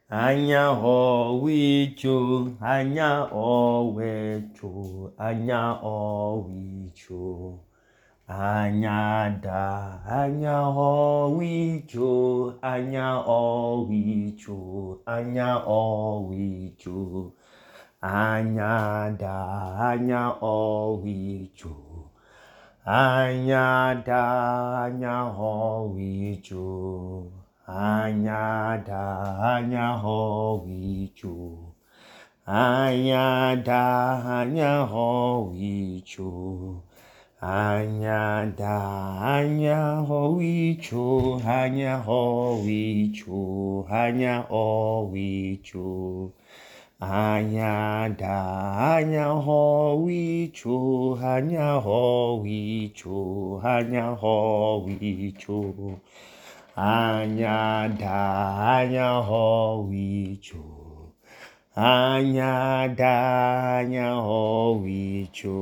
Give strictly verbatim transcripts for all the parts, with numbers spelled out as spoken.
Anya ọwicho, anya ọwecho, anya ọwicho, anya da, anya ọwicho, anya ọwicho, anya ọwicho, anya da, anya ọwicho, anya da, anya ọwicho. Anya da, anya ọwicho, anya da, anya ọwicho, anya da, anya ọwicho, anya ọwicho, anya ọwicho, anya da, anya ọwicho, anya ọwicho, anya ọwicho. Anya da, anya ọwicho, anya da, anya ọwicho,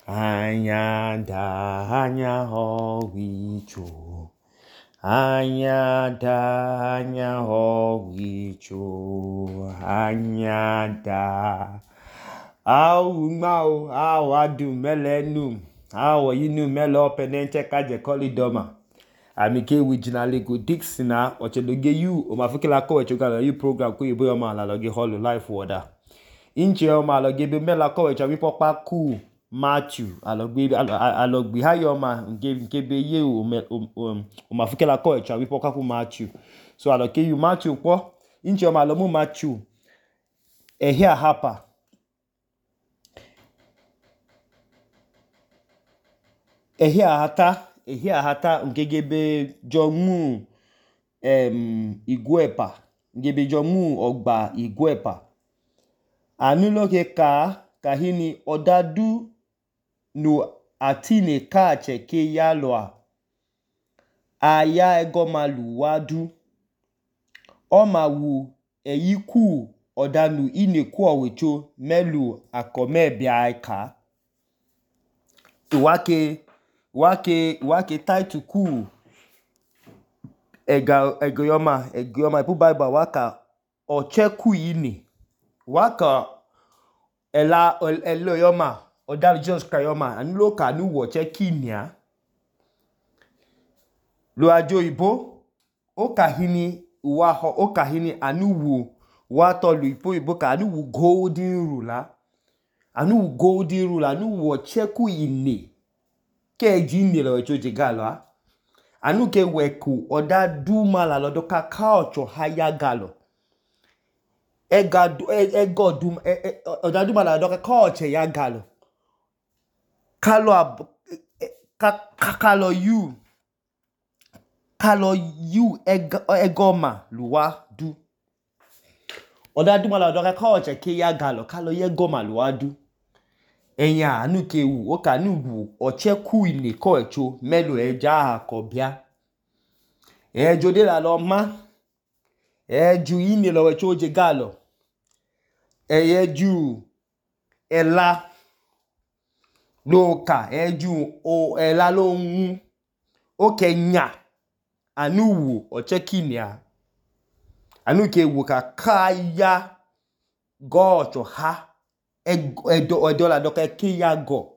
anya da, anya ọwicho, anya da, anya ọwicho, anya da. Awu mau, awu adu mele nu, awu yinu mele openenche kaje kolidoma. Amike wijina lego Dixina ocheloge yu o mafukila ko echogala yu program ko yebo yoma la loge holo life water. Inche yoma loge be mela ko echa wipo pa ku Matthew alogbe alogbe ha yoma nke nke be ye o o mafukila ko echa wipo ka ku Matthew. So aloke yu Matthew po inche yoma lo mu Matthew ehia hapa. Ehia hata ehia hata ngegebe jomu em Iguepa ngebe jomu ogba Iguepa anuloke ka kahini odadu no atine ka cheke yaloa aya egomalu wadu omawu eyiku odanu ineku owecho melu akome bia ka iwake wake wake title ku ega egoyoma egoyoma ipu bible waka ocheku yini waka ela eloyoma odal Jesus Christ anulo ka nu wo chekinia lo ajo ibo o kahini wa ho o kahini anuwu wa to lu ipo ibo ka anuwu golden rule anuwu golden rule anuwu ocheku yini ke jini lo echoje galo anu ke weku oda duma la lodo ka culture haya galo ega ego dum oda duma la lodo ka culture ya galo kalo ka kalo you kalo you egoma luwa du oda duma la lodo ka culture ke ya galo kalo ye goma luwa du enya anu ke wu o ka nu wu ocheku ile ko echo melo eja akobia ejo de la lo ma eju ine lo echo je galo eyeju ela lo ka eju o ela lo nwu o kenya anu wu ochekinia anu ke wu ka kaya gocho ha edo edo la doka ke ya go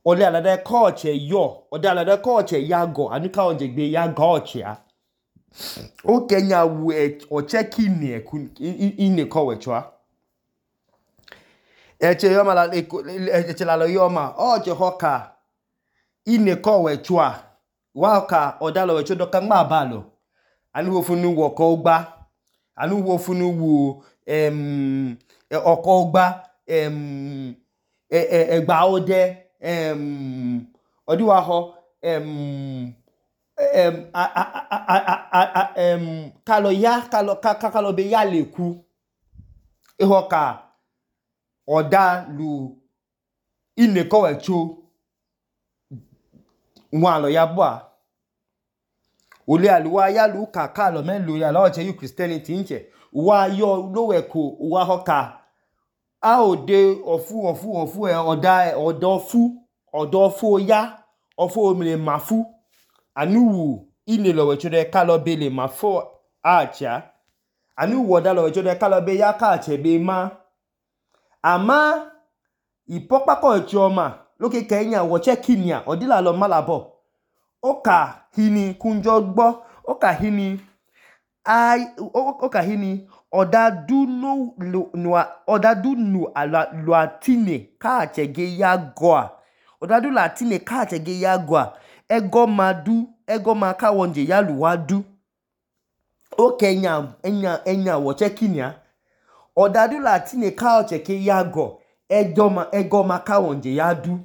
ole ala de culture yo ode ala de culture ya go anu ka onje gbe ya culture a o kenya wu o cheki ni ine ko wechwa eche yoma la eche la yoma o je hoka ine ko wechwa wa ka odalo wecho doka ngba balo anu wo funu wo ko gba anu wo funu wo em oko gba em egba ode em odiwa ho em em em kalo ya kalo kalo be ya leku iho ka oda lu ine ko echo nwa lo ya bua ole aluwa ya lu ka kalo melo ya lo che you Christianity nche wa yo loweko wa ho ka a ode ofu ofu ofu e oda odofu odofu ya ofu omire mafu anuwu ine lo wechode kalo bele mafo acha anu woda lo wecho de kalo be ya ka chebe ma ama ipokpa ko chioma loke kenya wo che kinia odila lo malabo oka hini kunjo gbo oka hini ai oka hini odadu no no odadu no ala latine ka chege ya goa odadu latine ka chege ya goa ego madu ego maka wonje ya luwadu o kenya enya enya wo che kinia odadu latine ka chege ya go ego ma ego maka wonje ya du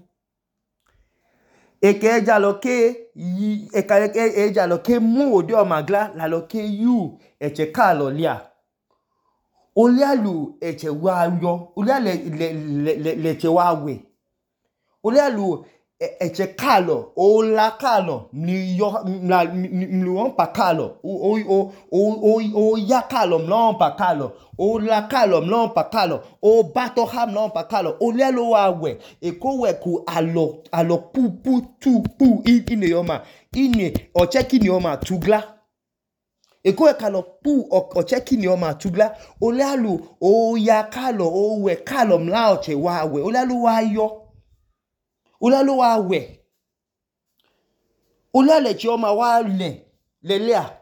eke eja loke yi eka eja loke mu ode o magla la loke yu eche ka lo lia olialu eche wa yo oliale le le le che wa we olialu eche kalo ola kalo ni yo na mlu pa kalo o o o o ya kalo mlo pa kalo o la kalo mlo pa kalo o bato ham mlo pa kalo olialo wa we eko we ku alo alo pu pu tu pu ine yoma ine o cheki ni yoma tugla eko e kalo pu o cheki ni yoma tugla olialu o ya kalo o we kalo mla o che wa we olialu wa yo Ulalo wa we. Ulale chioma wa le. Lelea.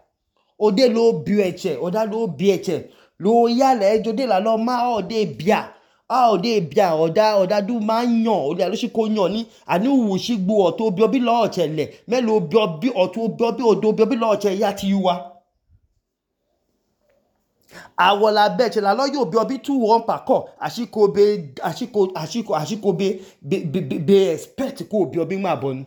Ode lo bieche. Oda lo bieche. Lo yale jode la lo ma ode bia. A ode bia. Oda oda du ma nyon. Ode alo shiko nyon ni. Ani uwu shigbu oto biobi lo oche le. Me lo biobi oto biobi odo biobi lo oche yati yuwa. Awola beche la lo yo biobi tu won pa ko ashiko be ashiko ashiko ashiko be be be, be expect ko biobi ma bonu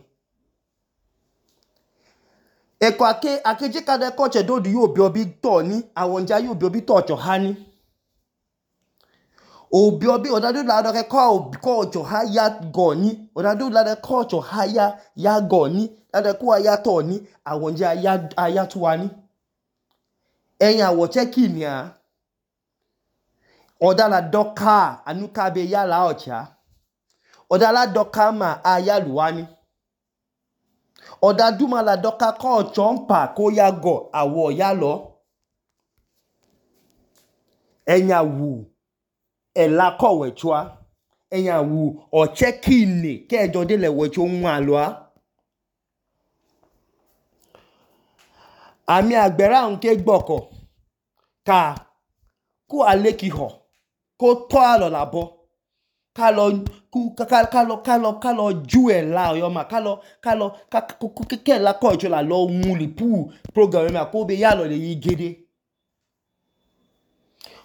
eko ake akeje ka de ko che do du yo biobi to ni awonja yo biobi to cho hani o biobi odadu la do ke ko ko cho ha ya go ni odadu la de ko cho ha ya ya go ni la de ko ya to ni awonja ya aya tuwa ni eyin awo che kinia Odala doka anuka be ya la ocha. Odala doka ma ayaluwani. Oda duma la doka ko chompa ko ya go awo ya lo. Enya wu ela ko wechwa. Enya wu o chekine ke jode le wecho nwa loa. Ami agbera unke gboko ka ku aleki ho ko to alo labo kalo ku kalo kalo kalo jue la yo ma kalo kalo ke la ko jo la lo muli pu program ma ko be ya lo le yigede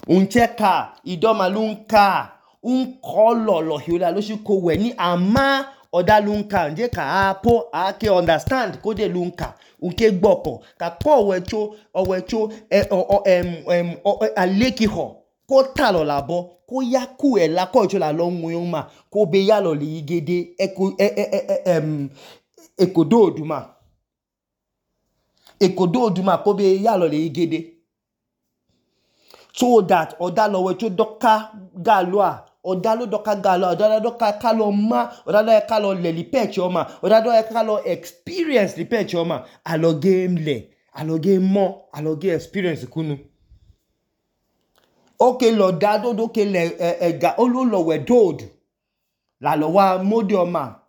uncheka idoma lunka un kolo lo hiola lo shi ko we ni ama oda lunka nje ka apo ake understand ko de lunka unke gboko ka ko wecho owecho em em aleki ho ko talo labo ko yaku e la ko jo la lo nwun ma ko be ya lo le yigede eko em ekodo oduma ekodo oduma ko be ya lo le yigede so that oda lo wecho doka galwa oda lo doka galwa oda lo doka kalo ma oda lo kalo le li peche oma oda lo kalo experience li peche oma alo game le alo game mo alo game experience kunu oke lo dado do ke le ega olo lo we dod la lo wa modi oma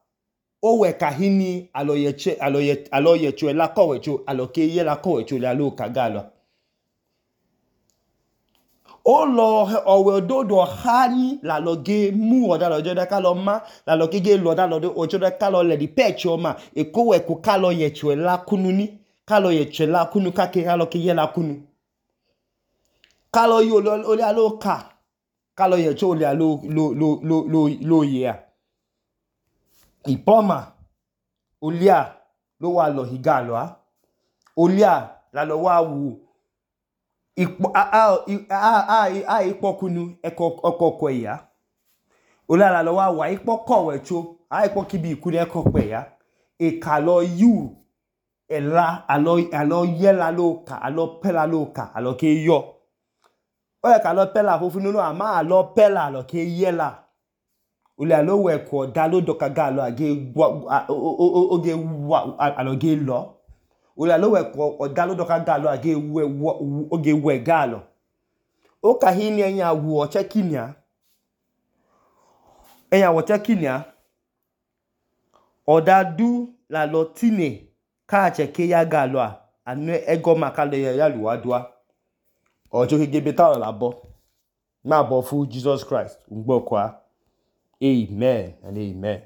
o we kahini alo yeche alo ye alo yecho la ko wecho alo ke ye la ko wecho la lo kagalo o lo owe dodo hani la lo ge mu oda lo jode ka lo ma la lo ke ge lo da lo do ocho de ka lo le di peche oma e ko we ko ka lo yecho la kunu ni ka lo yecho la kunu ka ke ka lo ke ye la kunu ka lo yo lo o le alo ka ka lo yecho le alo lo lo lo lo lo ye a ipoma olia lo wa lo higalo a olia la lo wa wu ipo a a a a ipo kunu eko okoko ya olia la lo wa wa ipo ko wecho a ipo kibi ikunu eko pe ya e ka lo yu ela alo alo ye la lo ka alo pela lo ka alo ke yo o ye ka lo pela fofunu no ama alo pela alo ke ye la olia lo we ko da lo doka ga lo age o ge wa alo ge lo olia lo we ko da lo doka ga lo age we o ge we ga lo Okahini ẹnya wu ọchẹ kinia. Ẹnya wu ọchẹ kinia. Ọdadu lalọ tine k'achẹ ke ya galọ a anu ẹgọma kalọ ya luwadua. Ọchẹ oke gebe talọ labọ. Nm'abọfu Jesus Christ ngbọkọa. Amen and amen.